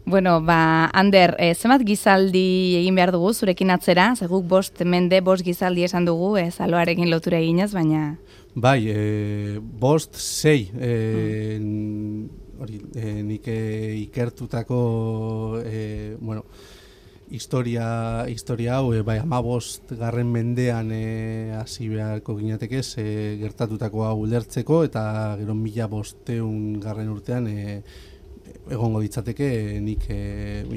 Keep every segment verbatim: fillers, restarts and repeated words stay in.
Bueno, ba, Ander, e, zenbat gizaldi egin behar dugu zurekin atzera? Ze guk bost mende, bost gizaldi esan dugu, e, zaloarekin lotura eginez, baina... Bai, e, bost, sei, e, hori, e, nik e, ikertutako, e, bueno, historia, historia hau, e, bai, amabost garren mendean e, hasi beharko ginateke, e, gertatutako hau ulertzeko, eta gero mila bosteun garren urtean, e, egongo ditzateke e, nik e,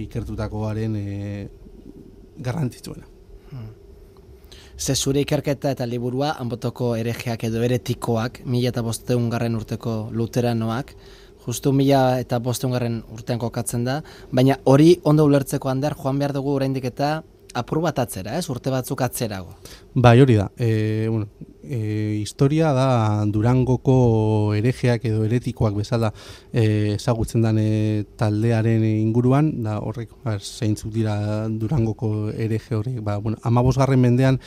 ikertutakoaren e, garrantzitsuena. Hmm. Ze zure ikerketa eta liburua, Anbotoko herejeak edo heretikoak, mila eta bosteun garren urteko luteranoak, justu mila eta bosteun garren urtean kokatzen da, baina hori ondo ulertzeko, Ander, joan behar dugu oraindik eta apur bat atzera, ez? Urte batzuk atzerago. Bai, hori da. E, bueno, e, historia da Durangoko herejeak edo heretikoak bezala e, ezagutzen den e, taldearen inguruan, da horrek, zeintzuk dira Durangoko hereje horiek, ba, bueno, amabosgarren mendean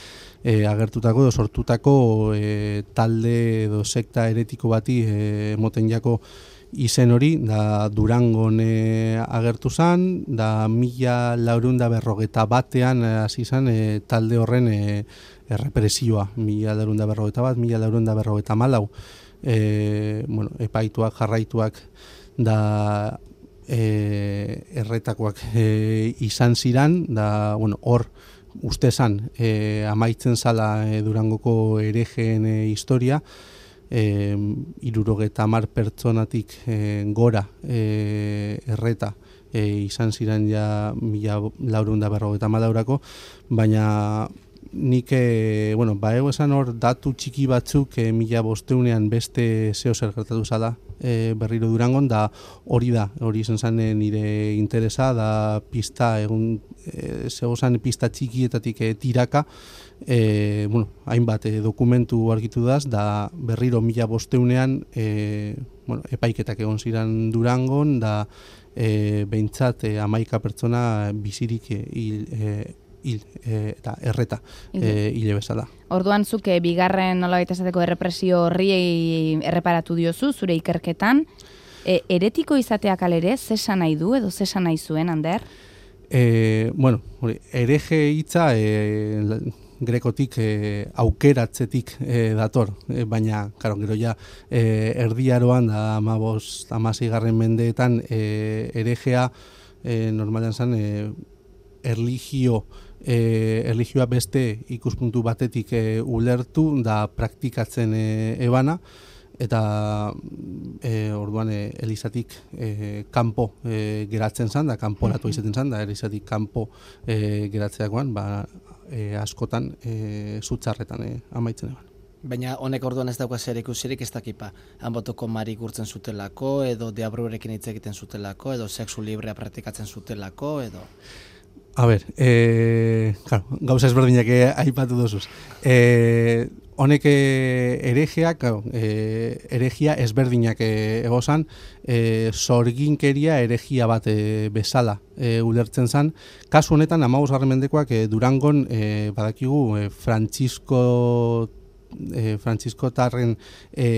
e, agertutako edo sortutako e, talde edo sekta heretiko bati e, moten jako izen hori, da Durangon e, agertu zan, da mila laurehun eta berrogeta batean hasi zan e, talde horren e, errepresioa, mila laurehun eta berrogeta bat, mila laurehun eta berrogeta malau, e, bueno, epaituak, jarraituak, da e, erretakoak e, izan ziran, da, bueno, hor uste zan e, amaitzen zala e, Durangoko herejeen e, historia, E, irurogeta hamar pertsonatik e, gora e, erreta e, izan ziren ja mila laurehun eta berrogeta hamalau, baina nik, e, bueno, ba ego esan hor datu txiki batzuk e, mila bosteunean beste zeo zer gertatu zala e, berriro Durangon, da hori da, hori izan zen nire interesa, da pista, egun e, zego zen pista txikietatik e, tiraka, E, bueno, hainbat e, dokumentu argitu daz, da berriro mila bosteunean e, bueno, epaiketak egon ziren Durangon, da e, behintzat e, hamaika pertsona bizirik e, hil, e, hil e, eta erreta e, hile bezala. Orduan zuk e, bigarren nolabait esateko errepresio horri erreparatu diozu zure ikerketan, e, heretiko izateak alere, zesan nahi du edo zesan nahi zuen, Ander? E, bueno, hereje hitza e, grekotik e, aukeratzetik e, dator, e, baina, karo, gero ja, e, erdiaroan da amabos, amaseigarren mendeetan e, herejea e, normalean zen e, erligio, e, erligioa beste ikuspuntu batetik e, ulertu da praktikatzen e, ebana, eta e, orduan e, elizatik e, kanpo e, geratzen zan, da kanporatu izaten zan, da elizatik kanpo e, geratzeakoan, ba, E, askotan e, zutzarretan e, amaitzen eban. Baina honek orduan ez dauka zer ikusirik ez dakipa. Anbotoko Mari gurtzen zutelako, edo deabrurekin hitz egiten zutelako, edo sexu librea praktikatzen zutelako, edo... A ber, e, claro, gauza ezberdinak aipatu dozuz. E, honek herejeak, claro, e, herejia ezberdinak egozan, e, sorginkeria herejia bat e, bezala e, ulertzen zan. Kasu honetan, amabosgarren mendekoak e, Durangon e, badakigu e, Frantzisko E, Frantziskotarren e,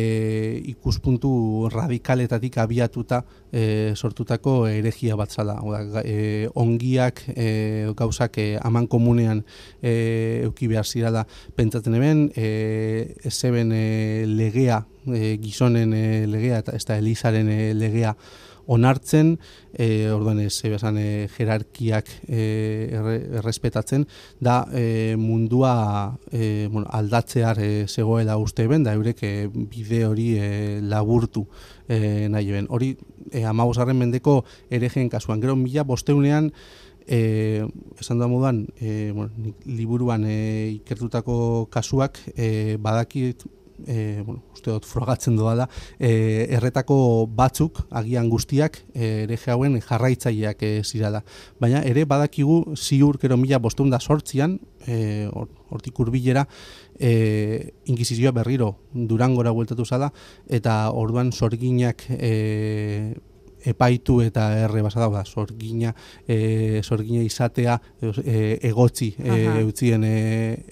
ikuspuntu radikaletatik abiatuta e, sortutako herejia bat zala. Oda, e, ongiak, e, gauzak e, aman komunean e, euki behar zirala pentsatzen eben, e, zeben e, legea, e, gizonen e, legea, eta ez da Elizaren e, legea onartzen, e, orduan ez bezan e, jerarkiak e, erre, errespetatzen, da e, mundua e, bueno, aldatzear e, zegoela uste ben, da eurek e, bide hori e, laburtu e, nahi ben. Hori e, amabosgarren mendeko herejeen kasuan. Gero mila bosteunean, e, esan da moduan, e, bueno, liburuan e, ikertutako kasuak e, badakit, E, bueno, uste dut frogatzen doala, e, erretako batzuk, agian guztiak, e, hereje hauen jarraitzaileak e, zirala. Baina ere badakigu ziur kero mila bostehun eta zortzian, e, hortik hurbilera, e, inkisizioa berriro Durangora bueltatu zala, eta orduan sorginak e, epaitu eta erre basada, da, sorgina, e, sorgina izatea e, egotzi e, utzien e,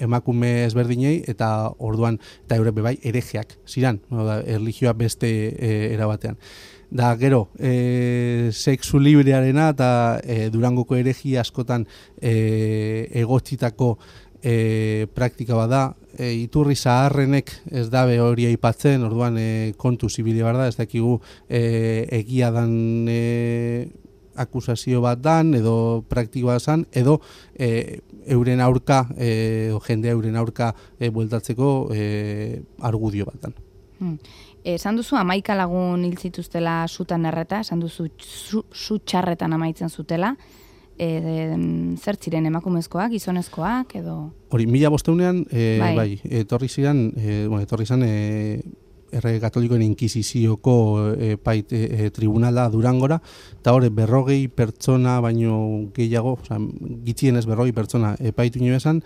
emakume ezberdinei, eta orduan, eta eure bebai, herejeak ziran, da, erlijioa beste e, erabatean. Da gero, e, sexu librearena eta e, Durangoko eregia askotan e, egotzitako e, praktika bada, e, iturri zaharrenek ez dabe hori aipatzen, orduan e, kontu zibide bar da, ez dakigu e, egia dan e, akusazio bat dan, edo praktikoa zan, edo e, euren aurka, e, jende euren aurka e, bueltatzeko e, argudio bat dan. Hmm. Esan duzu hamaika lagun hil zituztela sutan erreta, esan duzu su, su txarretan amaitzen zutela, e, e, zer ziren emakumezkoak, gizonezkoak, edo... Hori, mila bosteunean, e, bai. bai, etorri ziren, e, bueno, etorri zan, e, Errege Katolikoen Inkizizioko e, pait, e, tribunala Durangora, eta hori berrogei pertsona baino gehiago, oza, gitzienez berrogei pertsona epaitu nio esan,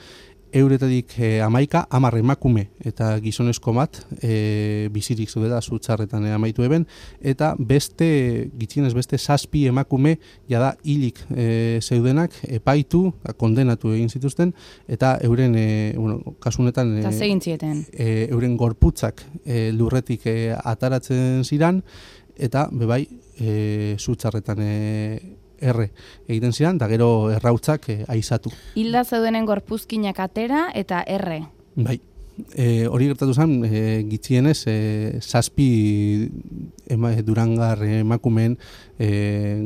euretatik e, amaika, amar emakume eta gizonezko bat e, bizirik zudela zutxarretan e, amaitu eben, eta beste, gitzienez beste zazpi emakume jada hilik e, zeudenak epaitu, kondenatu egin zituzten, eta euren, e, bueno, kasunetan Eta zegin zieten. e, euren gorputzak e, lurretik e, ataratzen ziran, eta bebai e, zutxarretan e, erre egiten ziren, da gero errautzak eh, aizatu. Hilda zeudenen gorpuzkinak atera eta erre. Bai, e, hori gertatu zen, e, gitzienez, e, zazpi ema, durangar emakumeen e,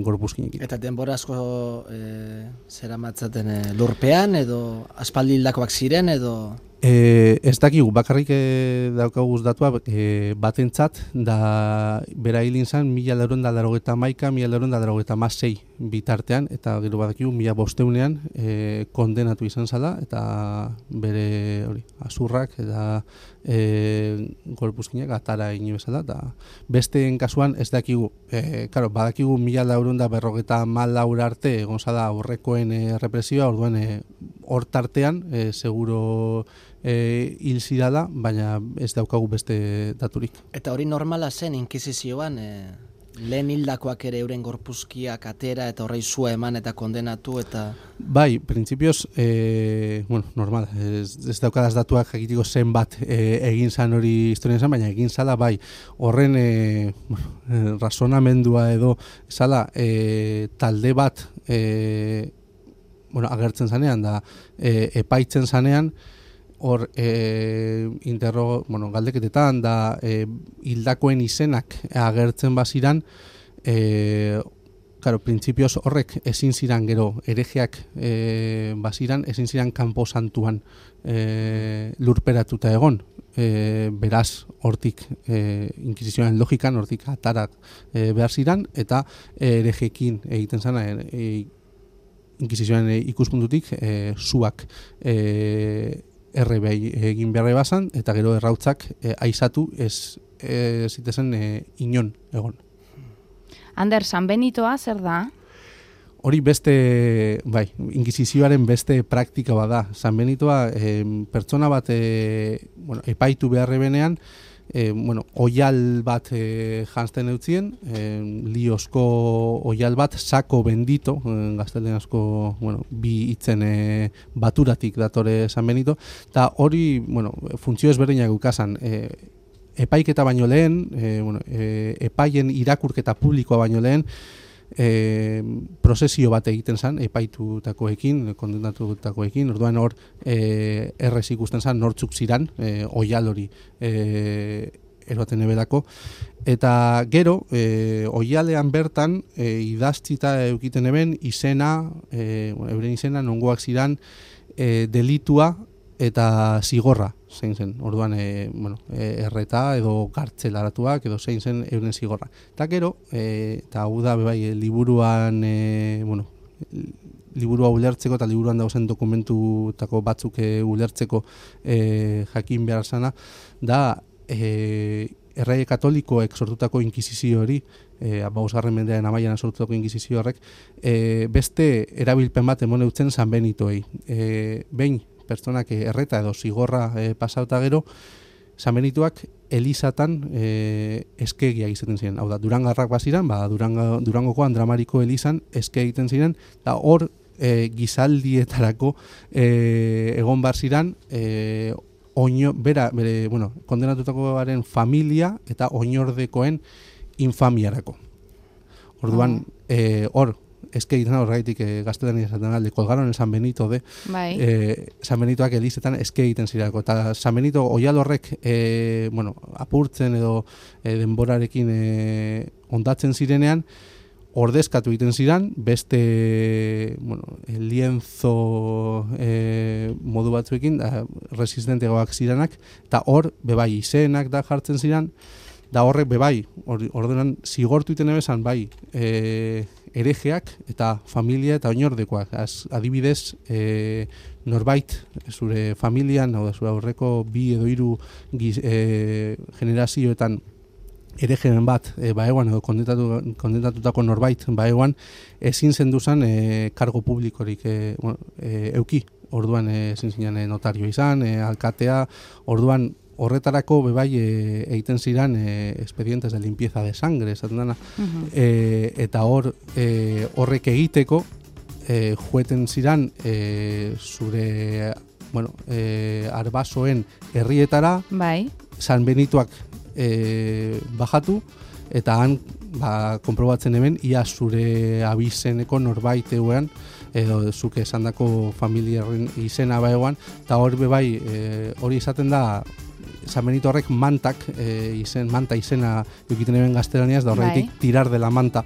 gorpuzkinekin. Eta denbora asko e, zera matzaten e, lurpean, edo aspaldi hildakoak ziren, edo... E, ez dakigu, bakarrik e, daukaguz datua e, batentzat, da bera hilin zen, mila lauron da darogeta maika, mila lauron da darogeta masei bitartean, eta gero badakigu, mila bosteunean e, kondenatu izan zala, eta bere hori, azurrak, eta e, gorpuzkinak atara egin bezala, eta besteen kasuan ez dakigu, e, karo, badakigu mila lauron da berrogeta mal laur arte, egon zala aurrekoen e, represioa, orduan e, hor tartean, e, seguro e, hil zirala, baina ez daukagu beste daturik. Eta hori normala zen inkisizioan, e, lehen hildakoak ere euren gorpuzkiak atera eta horrei zua eman eta kondenatu eta... Bai, printzipioz, e, bueno, normal, ez, ez daukadaz datuak jakitiko zen bat e, egin zan hori historian zen, baina egin zala bai, horren e, bueno, e, razonamendua edo zala e, talde bat e, bueno, agertzen zanean, da e, epaitzen zanean, hor e, interro, bueno, galdeketetan, da e, hildakoen izenak agertzen baziran, e, claro, printzipioz horrek ezin ziran gero erejeak e, baziran, ezin ziran kanpo santuan e, lurperatuta egon. E, beraz, hortik e, inkisizioaren logikan, hortik atarak e, behar ziran, eta erejekin egiten zana, e, inkisizioaren ikuspuntutik e, zuak e, erre egin beharre bazan, eta gero errautzak e, aizatu ez e, zitezen e, inon egon. Ander, San Benitoa zer da? Hori beste, bai, inkisizioaren beste praktika bada. San Benitoa e, pertsona bat e, bueno, epaitu beharre benean, E, bueno, oial bat e, janzten eutzien, e, liozko oial bat, sako bendito, e, gaztelerazko, bueno, bi hitzen e, baturatik datore San Benito, eta hori, bueno, funtzio ezberdinak ukasan, e, epaiketa baino lehen, e, bueno, e, epaien irakurketa publikoa baino lehen, E, prozesio bat egiten zen epaitutakoekin, kondenatutakoekin, orduan hor e, errez ikusten zen nortzuk ziran, e, oial hori e, eroaten ebelako, eta gero e, oialean bertan e, idaztita eukiten eben izena, e, euren izena nongoak ziran e, delitua eta zigorra zein zen, orduan e, bueno, e, erreta edo kartzelaratuak edo zein zen euren zigorra. Eta gero, e, eta hau da bebai, e, liburuan, e, bueno, liburua ulertzeko eta liburuan dauzen dokumentutako batzuk e, ulertzeko e, jakin behar zana, da e, errege katolikoek sortutako inkisizio hori, e, bosgarren mendearen amaian sortutako inkisizio horrek, e, beste erabilpen bat emon eutzen San Benitoei. E, behin, pertsonak erreta edo zigorra e, pasauta gero, San Benituak elizatan e, eskegia izaten ziren. Hau da, Durangarrak baziran, ba, Durango, Durangoko Andramariko elizan eske egiten ziren, eta hor e, gizaldietarako e, egon bar ziren, e, oino, bera, bere, bueno, kondenatutakoaren familia eta oinordekoen infamiarako. Orduan, eh, hor, eske egiten horregaitik e, gaztelania esaten alde, kolgaron el San Benito de, bai. e, San Benitoak elizetan eske egiten zirako, eta San Benito oial horrek, e, bueno, apurtzen edo e, denborarekin e, ondatzen zirenean, ordezkatu egiten ziren, beste, bueno, lienzo e, modu batzuekin, da, resistentegoak ziranak, eta hor, bebai, izenak da jartzen ziren, da horrek bebai, ordenan zigortu iten ebezan, bai, e, erejeak eta familia eta oinordekoak. Az, adibidez, e, norbait, zure familian, hau da, zure aurreko bi edo hiru giz, e, generazioetan erejeren bat e, baeguan edo kondentatu, kondentatutako norbait baeguan, ezin zenduzan e, kargo publikorik e, bueno, e, euki. Orduan e, ezin zinan e, notario izan, e, alkatea, orduan horretarako bebai e, egiten ziren e, expedientes de limpieza de sangre, esaten dana, uh-huh. e, eta hor e, horrek egiteko e, jueten ziren e, zure bueno, e, arbasoen herrietara, bai. San Benitoak e, bajatu, eta han ba, konprobatzen hemen, ia zure abizeneko norbait eguean, edo zuke esandako familiaren izena baegoan, eta hor bebai e, hori izaten da, San Benito horrek mantak, e, izen, manta izena dukiten eben gaztelaniaz, da horretik bai. Tirar de la manta,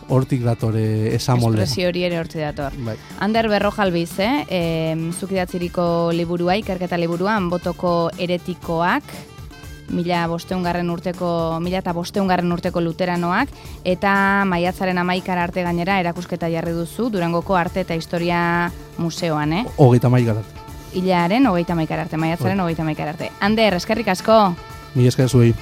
hortik dator e, esamolea. Espresio hori ere hortik dator. Bai. Ander Berrojalbiz, eh? E, zukidatziriko liburua, ikerketa liburuan, botoko eretikoak, mila bosteungarren urteko, mila eta bosteungarren urteko luteranoak, eta maiatzaren amaikara arte gainera erakusketa jarri duzu, Durangoko Arte eta Historia Museoan, eh? Hogeita maikara arte. Hilaren hogeita maikara arte, maiatzaren hogeita maikara arte. Ander, eskerrik asko! Mila esker zuei.